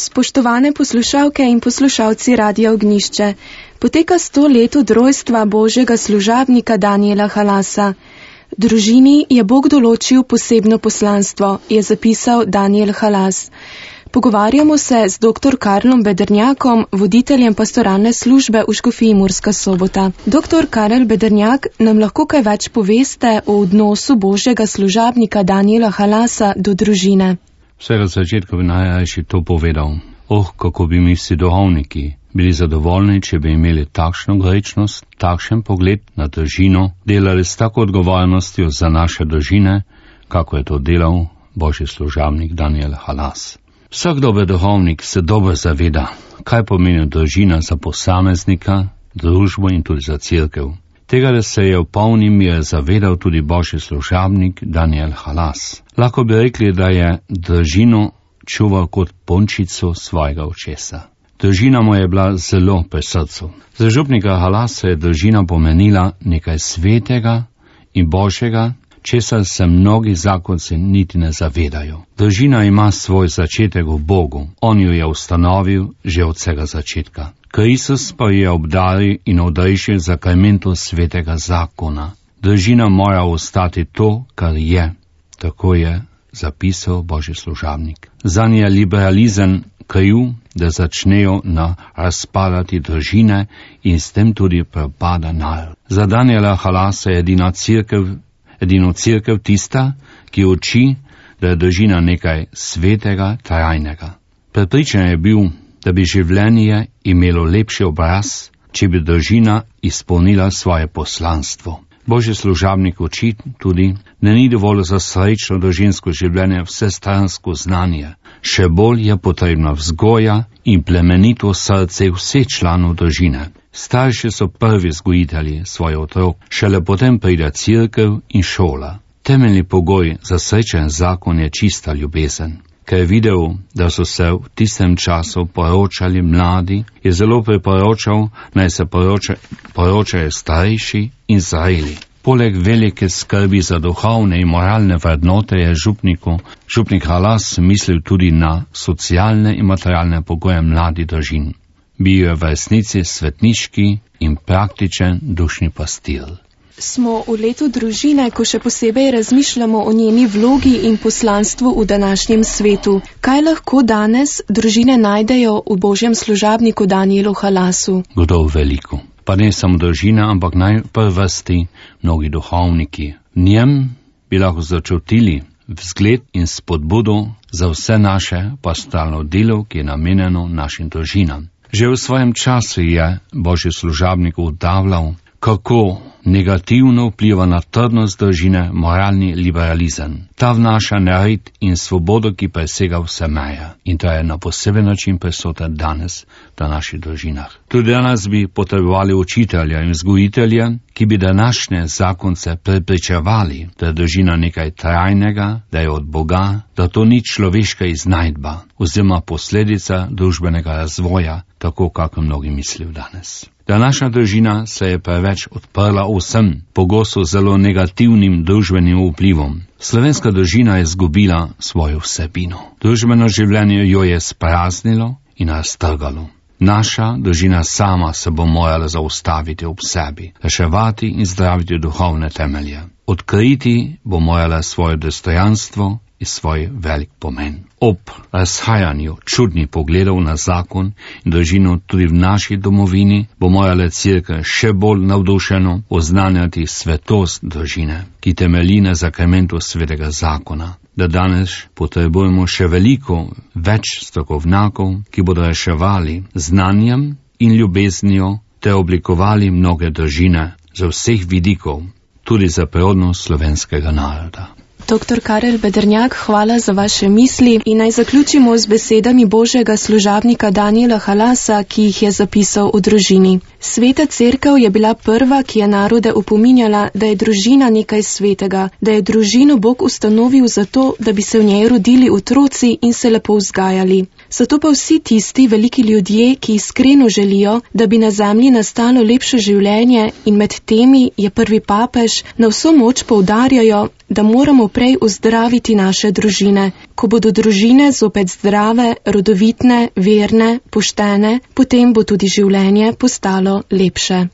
Spoštovane poslušalke in poslušalci Radia Ognjišče, poteka 100 let od rojstva Božjega služabnika Danijela Halasa. Družini je Bog določil posebno poslanstvo, je zapisal Danijel Halas. Pogovarjamo se z dr. Karlom Bedernjakom, voditeljem pastoralne službe v Škofiji Murska Sobota. Dr. Karel Bedernjak, nam lahko kaj več poveste o odnosu Božjega služabnika Danijela Halasa do družine? Vsega začetka bi najrajši to povedal. Kako bi mi vsi duhovniki bili zadovoljni, če bi imeli takšno grečnost, takšen pogled na družino, delali s tako odgovornostjo za naše družine, kako je to delal Božji služabnik Danijel Halas. Vsak dober duhovnik se dobro zaveda, kaj pomeni družina za posameznika, družbo in tudi za cerkev. Tega, da se je v polni meri zavedal tudi Božji služabnik Danijel Halas. Lahko bi rekli, da je družino čuval kot pončico svojega očesa. Družina mu je bila zelo pri srcu. Za župnika Halasa je družina pomenila nekaj svetega in božjega, česar se mnogi zakonci niti ne zavedajo. Družina ima svoj začetek v Bogu. On jo je ustanovil že od vsega začetka. Kristus pa je obdaril in odrešil zakramentu svetega zakona. Družina mora ostati to, kar je. Tako je zapisal Božji služabnik. Zanj je liberalizem kriv, da začnejo razpadati družine in s tem tudi propada narod. Za Danijela Halasa je edino cerkev tista, ki uči, da je družina nekaj svetega, trajnega. Prepričan je bil, da bi življenje imelo lepši obraz, če bi družina izpolnila svoje poslanstvo. Božji služabnik uči tudi, da ni dovolj za srečno družinsko življenje vsestransko znanje. Še bolj je potrebna vzgoja in plemenito srce vseh članov družine. Starši so prvi vzgojitelji svojih otrok, šele potem pride cerkev in šola. Temeljni pogoj za srečen zakon je čista ljubezen. Ker je videl, da so se v tistem času poročali mladi, je zelo priporočal, naj se poročajo starejši in zreli. Poleg velike skrbi za duhovne in moralne vrednote je župnik Halas mislil tudi na socialne in materialne pogoje mladih družin. Bil je v resnici svetniški in praktičen dušni pastir. Smo v letu družine, ko še posebej razmišljamo o njeni vlogi in poslanstvu v današnjem svetu. Kaj lahko danes družine najdejo v Božjem služabniku Danijelu Halasu? Gotovo veliko. Pa ne samo družina, ampak najprvrsti mnogi duhovniki. V njem bi lahko začutili vzgled in spodbudo za vse naše pastoralno delo, ki je namenjeno našim družinam. Že v svojem času je Božji služabnik ugotavljal, kako negativno vpliva na trdnost družine moralni liberalizem. Ta vnaša nered in svobodo, ki presega vse meje. In to je na poseben način prisoten danes v naših družinah. Tudi danes bi potrebovali učitelja in vzgojitelja, ki bi današnje zakonce prepričevali, da je družina nekaj trajnega, da je od Boga, da to ni človeška iznajdba oziroma posledica družbenega razvoja, tako kako mnogi mislijo danes. Današnja družina se je preveč odprla vsem, pogosto zelo negativnim družbenim vplivom. Slovenska družina je izgubila svojo vsebino. Družbeno življenje jo je spraznilo in raztrgalo. Naša družina sama se bo morala zaustaviti ob sebi, reševati in zdraviti duhovne temelje. Odkriti bo morala svoje dostojanstvo in svoj velik pomen. Ob razhajanju čudnih pogledov na zakon in družino tudi v naši domovini bo morala cerkev še bolj navdušeno oznanjati svetost družine, ki temelji na zakramentu svetega zakona. Da danes potrebujemo še veliko več strokovnjakov, ki bodo reševali znanjem in ljubeznijo ter oblikovali mnoge družine z vseh vidikov, tudi za prihodnost slovenskega naroda. Dr. Karel Bedernjak, hvala za vaše misli in naj zaključimo z besedami Božjega služabnika Danijela Halasa, ki jih je zapisal v družini. Sveta cerkev je bila prva, ki je narode opominjala, da je družina nekaj svetega, da je družino Bog ustanovil zato, da bi se v njej rodili otroci in se lepo vzgajali. So to pa vsi tisti veliki ljudje, ki iskreno želijo, da bi na zemlji nastalo lepše življenje, in med temi je prvi papež, na vso moč poudarjajo, da moramo prej ozdraviti naše družine. Ko bodo družine zopet zdrave, rodovitne, verne, poštene, potem bo tudi življenje postalo lepše.